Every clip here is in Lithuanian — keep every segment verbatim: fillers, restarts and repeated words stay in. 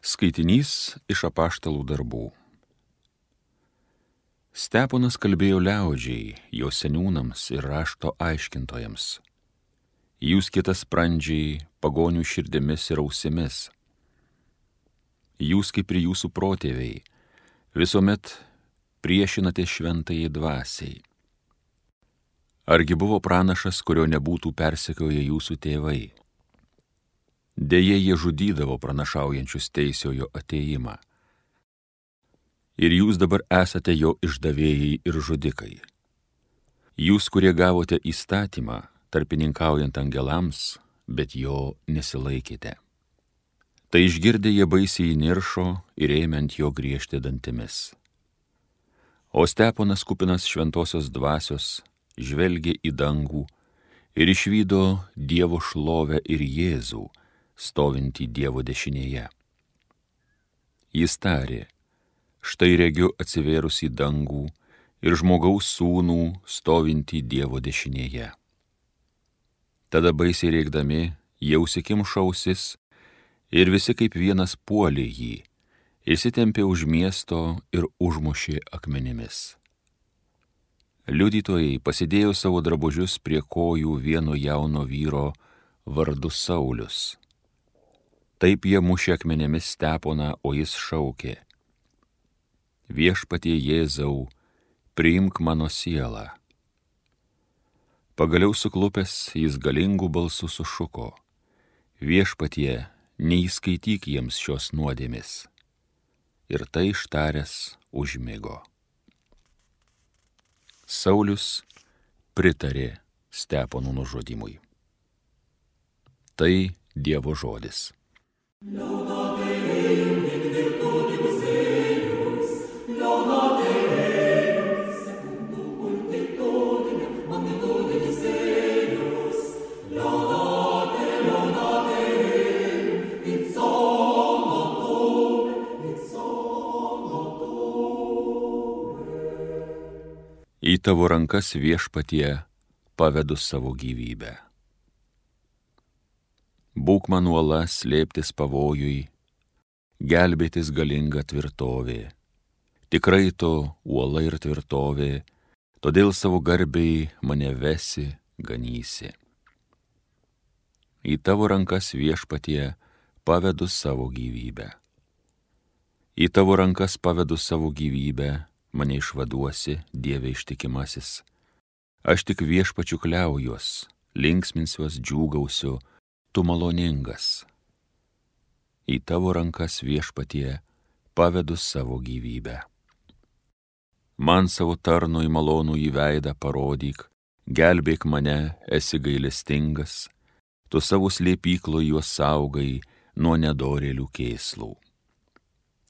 Skaitinys iš apaštalų darbų. Steponas kalbėjo liaudžiai, jo seniūnams ir rašto aiškintojams. Jūs kietasprandžiai, pagonių širdimis ir ausimis. Jūs kaip ir jūsų protėviai, visuomet priešinate šventajai dvasiai. Argi buvo pranašas, kurio nebūtų persekioję jūsų tėvai? Deja, jie žudydavo pranašaujančius teisiojo atėjimą. Ir jūs dabar esate jo išdavėjai ir žudikai. Jūs, kurie gavote įstatymą, tarpininkaujant angelams, bet jo nesilaikėte. Tai išgirdę jie baisiai įniršo ir ėmė ant jo griežti dantimis. O Steponas, kupinas šventosios dvasios, žvelgė į dangų ir išvydo Dievo šlovę ir Jėzų, stovintį Dievo dešinėje. Jis tarė, štai regiu atsivėrus į dangų ir žmogaus sūnų stovintį Dievo dešinėje. Tada baisiai rėkdami, jie užsikimšo ausis ir visi kaip vienas puolė jį, išsitempė už miesto ir užmušė akmenimis. Liudytojai pasidėjo savo drabužius prie kojų vieno jauno vyro vardu Saulius. Taip jie mušė akmenėmis Steponą, o jis šaukė, Viešpatie Jėzau, priimk mano sielą. Pagaliau suklupęs jis galingų balsų sušuko, Viešpatie, neįskaityk jiems šios nuodėmės. Ir tai ištaręs užmigo. Saulius pritarė Stepono nužudymui. Tai Dievo žodis. Laudate Deum in virtutibus eius, laudate Deum secundum multitudinem magnitudibus eius, laudate, laudate Deum in somno tuum, in somno tuum. Į tavo rankas, Viešpatie, pavedu savo gyvybę. Būk man uola slėptis pavojui, gelbėtis galinga tvirtovė. Tikrai to uola ir tvirtovė, todėl savo garbei mane vesi, ganysi. Į tavo rankas, Viešpatie, pavedu savo gyvybę. Į tavo rankas pavedu savo gyvybę, mane išvaduosi, Dieve ištikimasis. Aš tik Viešpačiu kliaujuos, linksminsiuos, džiūgausiu, tu maloningas. Į tavo rankas, Viešpatie, pavedu savo gyvybę. Man savo tarnui malonų į veidą parodyk, gelbėk mane, esi gailestingas, tu savo slėpyklo juos saugai nuo nedorėlių kėslų.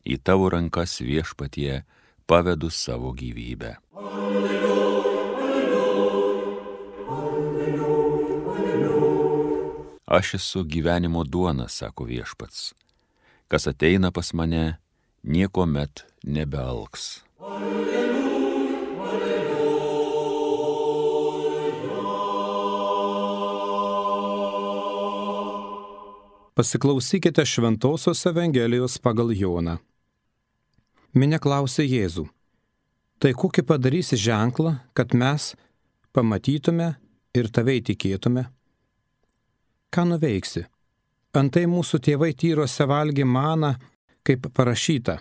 Į tavo rankas, Viešpatie, pavedu savo gyvybę. Aš esu gyvenimo duona, sako Viešpats. Kas ateina pas mane, niekuomet nebealks. Alleluja, alleluja. Pasiklausykite Šventosios Evangelijos pagal Joną. Minia klausė Jėzų, tai kokį padarysi ženklą, kad mes pamatytume ir tave įtikėtume? Ką nuveiksi? Antai mūsų tėvai tyrose valgė maną, kaip parašyta,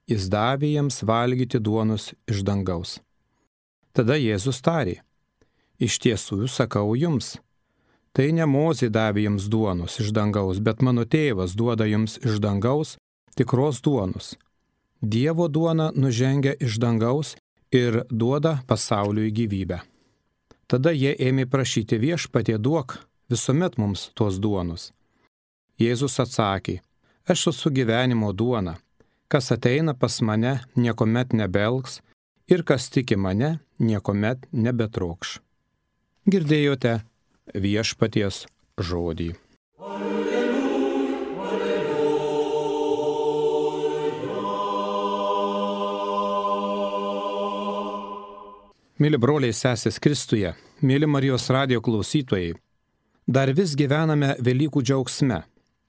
jis davė jiems valgyti duonos iš dangaus. Tada Jėzus tarė, iš tiesų sakau jums, tai ne Mozė davė jums duonos iš dangaus, bet mano tėvas duoda jums iš dangaus tikros duonos. Dievo duona nužengia iš dangaus ir duoda pasauliui gyvybę. Tada jie ėmė prašyti Viešpatie duok visuomet mums tos duonos. Jėzus atsakė, aš esu gyvenimo duona, kas ateina pas mane, niekuomet nebeelgs, ir kas tiki mane, niekuomet nebetrokš. Girdėjote Viešpaties žodį. Alleluja, alleluja. Mėly broliai sesės Kristuje, mėly Marijos radijo klausytojai, dar vis gyvename Velykų džiaugsme,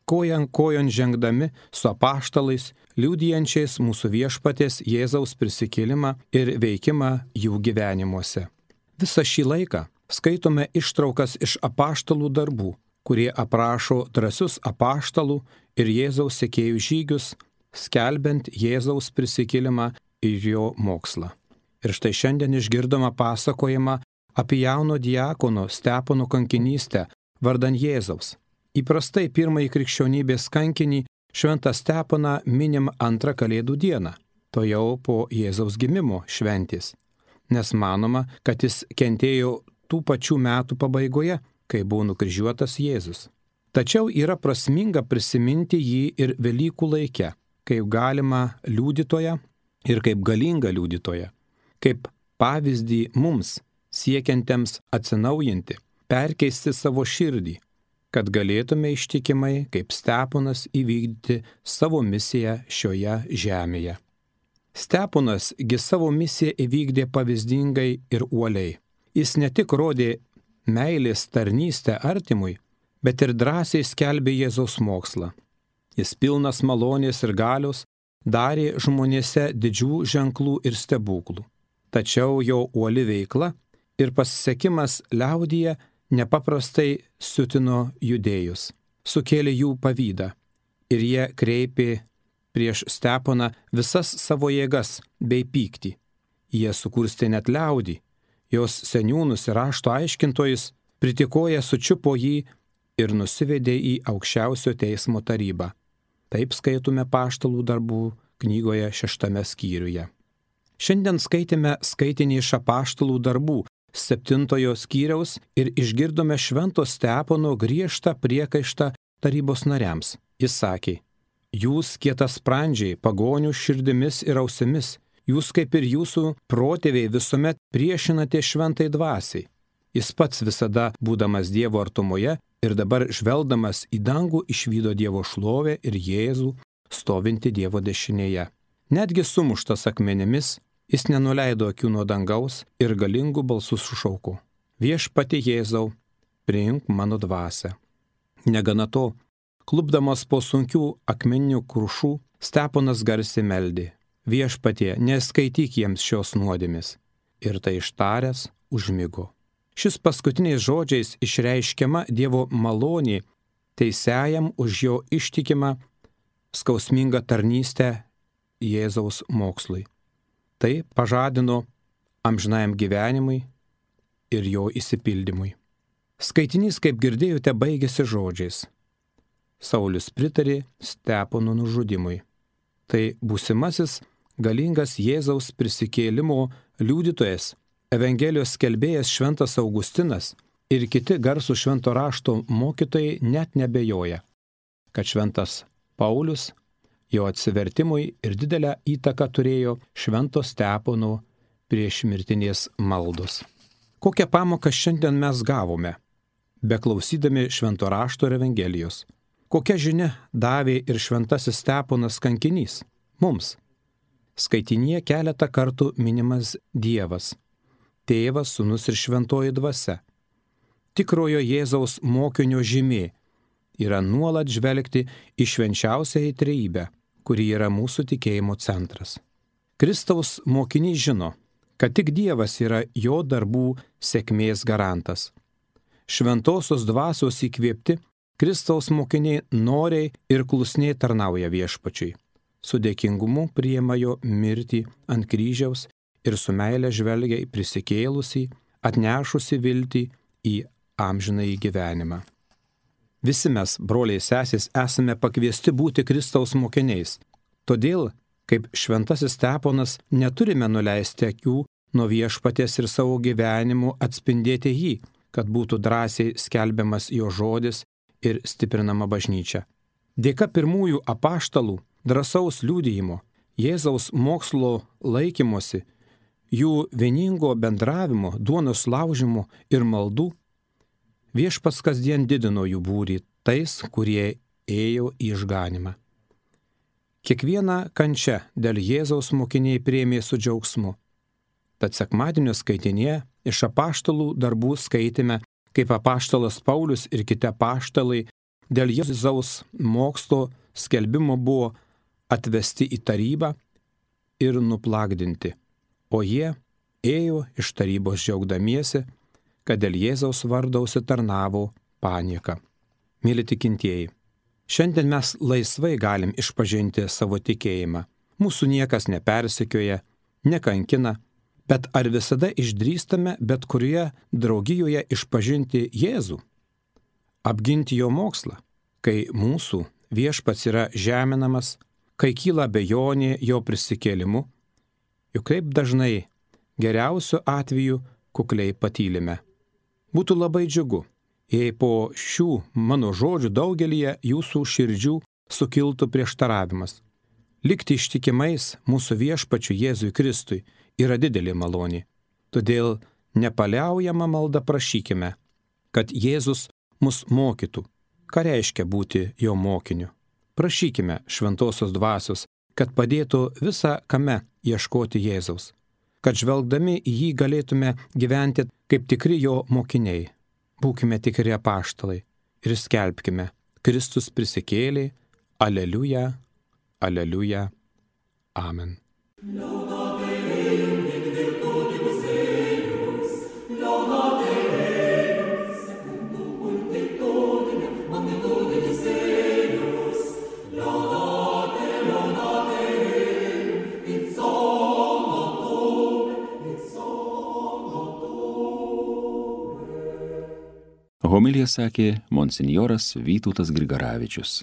kojan kojon žengdami su apaštalais, liudijančiais mūsų viešpaties Jėzaus prisikėlimą ir veikimą jų gyvenimuose. Visą šį laiką skaitome ištraukas iš apaštalų darbų, kurie aprašo drąsius apaštalų ir Jėzaus sekėjų žygius, skelbiant Jėzaus prisikėlimą ir jo mokslą. Ir štai šiandien išgirdome pasakojimą apie jauno diakono Stepono kankinystę vardan Jėzaus. Įprastai pirmąjį krikščionybės kankinį šventą Steponą minim antrą Kalėdų dieną, to jau po Jėzaus gimimo šventės, nes manoma, kad jis kentėjo tų pačių metų pabaigoje, kai buvo nukryžiuotas Jėzus. Tačiau yra prasminga prisiminti jį ir Velykų laike, kaip galima liudytoją ir kaip galingą liudytoją, kaip pavyzdį mums, siekiantiems atsinaujinti, perkeisti savo širdį, kad galėtume ištikimai, kaip Steponas, įvykdyti savo misiją šioje žemėje. Steponas gi savo misiją įvykdė pavyzdingai ir uoliai. Jis ne tik rodė meilės tarnystę artimui, bet ir drąsiai skelbė Jėzaus mokslą. Jis pilnas malonės ir galios darė žmonėse didžių ženklų ir stebuklų. Tačiau jo uoli veikla ir pasisekimas liaudyje nepaprastai siutino judėjus, sukėlė jų pavydą ir jie kreipė prieš Steponą visas savo jėgas bei pyktį. Jie sukurstė net liaudį, jos seniūnus ir rašto aiškintojus, pritikoję sučiupo jį ir nusivedė į aukščiausio teismo tarybą. Taip skaitome Apaštalų darbų knygoje šeštame skyriuje. Šiandien skaitėme skaitinį iš Apaštalų darbų septintojo skyriaus ir išgirdome švento Stepono griežtą priekaištą tarybos nariams. Jis sakė: jūs kietasprandžiai, pagonių širdimis ir ausimis, jūs kaip ir jūsų protėviai visuomet priešinate šventai dvasiai. Jis pats visada, būdamas Dievo artumoje ir dabar žvelgdamas į dangų, išvydo Dievo šlovę ir Jėzų stovinti Dievo dešinėje. Netgi sumuštas akmenimis, jis nenuleido akių nuo dangaus ir galingų balsų sušauko: viešpatie Jėzau, priimk mano dvasią. Negana to, klupdamas po sunkių akmeninių krušų, Steponas garsiai meldė: viešpatie, neskaityk jiems šios nuodėmės. Ir tai ištaręs užmigo. Šis paskutiniais žodžiais išreiškiama Dievo malonė teisiajam už jo ištikimą skausmingą tarnystę Jėzaus mokslui. Tai pažadino amžinajam gyvenimui ir jo įsipildymui. Skaitinys, kaip girdėjote, baigėsi žodžiais: Saulius pritarė Stepono nužudimui. Tai būsimasis galingas Jėzaus prisikėlimo liudytojas, Evangelijos skelbėjas šventas Augustinas ir kiti garsų švento rašto mokytojai net nebejoja, kad šventas Paulius jo atsivertimui ir didelę įtaką turėjo švento Stepono priešmirtinės maldos. Kokią pamoką šiandien mes gavome, beklausydami švento rašto ir Evangelijos? Kokia žinia davė ir šventasis Steponas kankinys mums? Skaitinyje keletą kartų minimas Dievas, Tėvas, Sūnus ir Šventoji Dvasia. Tikrojo Jėzaus mokinio žymė yra nuolat žvelgti į švenčiausiąją trejybę, kuri yra mūsų tikėjimo centras. Kristaus mokinys žino, kad tik Dievas yra jo darbų sėkmės garantas. Šventosios dvasios įkvėpti, Kristaus mokiniai noriai ir klusniai tarnauja viešpačiui. Su dėkingumu priima jo mirtį ant kryžiaus ir su meile žvelgia į prisikėlusį, atnešusi viltį į amžinąjį gyvenimą. Visi mes, broliai sesės, esame pakviesti būti Kristaus mokiniais. Todėl, kaip šventasis Steponas, neturime nuleisti akių nuo viešpaties ir savo gyvenimu atspindėti jį, kad būtų drąsiai skelbiamas jo žodis ir stiprinama bažnyčia. Dėka pirmųjų apaštalų drąsaus liudijimo, Jėzaus mokslo laikymosi, jų vieningo bendravimo, duonos laužimo ir maldų, viešpats kasdien didino jų būrį tais, kurie ėjo į išganimą. Kiekvieną kančią dėl Jėzaus mokiniai priėmė su džiaugsmu. Tad sekmadienio skaitinėje iš apaštalų darbų skaitėme, kaip apaštalas Paulius ir kiti apaštalai dėl Jėzaus mokslo skelbimo buvo atvesti į tarybą ir nuplagdinti, o jie ėjo iš tarybos džiaugdamiesi, kad dėl Jėzaus vardo užsitarnavo panieką. Mėly tikintieji, šiandien mes laisvai galim išpažinti savo tikėjimą. Mūsų niekas nepersekioja, nekankina, bet ar visada išdrįstame bet kurioje draugijoje išpažinti Jėzų? Apginti jo mokslą, kai mūsų viešpats yra žeminamas, kai kyla abejonė jo prisikėlimu, juk kaip dažnai geriausiu atveju kukliai patylime. Būtų labai džiugu, jei po šių mano žodžių daugelyje jūsų širdžių sukiltų prieštaravimas. Likti ištikimais mūsų viešpačiu Jėzui Kristui yra didelė malonė. Todėl nepaliaujama malda prašykime, kad Jėzus mus mokytų, ką reiškia būti jo mokiniu. Prašykime šventosios dvasios, kad padėtų visą kame ieškoti Jėzaus, kad žvelgdami į jį galėtume gyventi kaip tikri jo mokiniai. Būkime tikri apaštalai ir skelbkime: Kristus prisikėlė, aleliuja, aleliuja, amen. Homiliją sakė monsinjoras Vytautas Grigaravičius.